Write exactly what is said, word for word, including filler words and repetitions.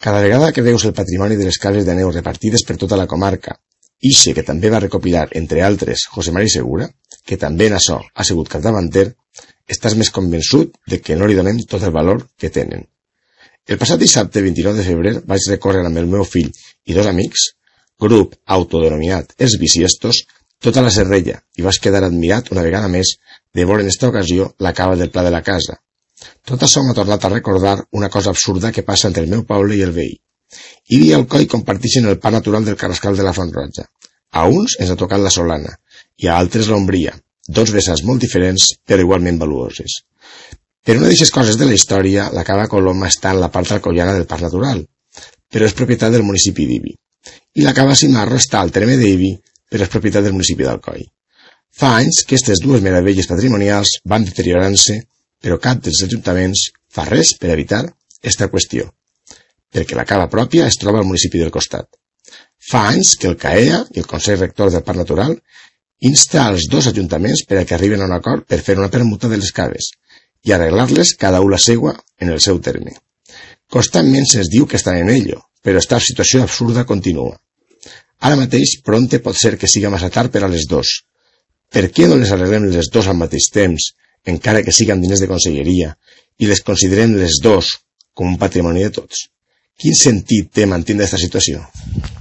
Cada vegada que veus el patrimoni de les cases de neu repartides per tota la comarca, ixe que també va recopilar, entre altres, José Mari Segura, que també en açò ha sigut capdavanter, estàs més convençut de que no li donem tot el valor que tenen. El passat dissabte vint-i-nou de febrer vaig recórrer amb el meu fill i dos amics, grup autodenominat Els Bisiestos, tota la Serrella, i vaig quedar admirat una vegada més de veure en esta ocasió la cava del Pla de la Casa. Tot això m'ha tornat a recordar una cosa absurda que passa entre el meu poble i el veí. Ibi i Alcoi comparteixen el pa natural del Carrascal de la Font Roja. A uns ens ha tocat la Solana i a altres l'Ombria, dos vessants molt diferents però igualment valuoses. Per una d'aquestes coses de la història, la cava Coloma està en la part alcoiana del Parc Natural, però és propietat del municipi d'Ibi. I la cava Cimarro està al terme d'Ibi, però és propietat del municipi d'Alcoi. Fa anys que aquestes dues meravelles patrimonials van deteriorant-se, però cap dels ajuntaments fa res per evitar esta qüestió, perquè la cava pròpia es troba al municipi del costat. Fa anys que el C A E A i el Consell Rector del Parc Natural insta als dos ajuntaments per a que arriben a un acord per fer una permuta de les caves i arreglar-les cada una la seua en el seu terme. Constantment se'ns diu que estan en ello, però esta situació absurda continua. Ara mateix pronte pot ser que siga massa tard per a les dos. Per què no les arreglem les dos al mateix temps, encara que siguin diners de conselleria, i les considerem les dos com un patrimoni de tots? Quin sentit té mantenir aquesta situació?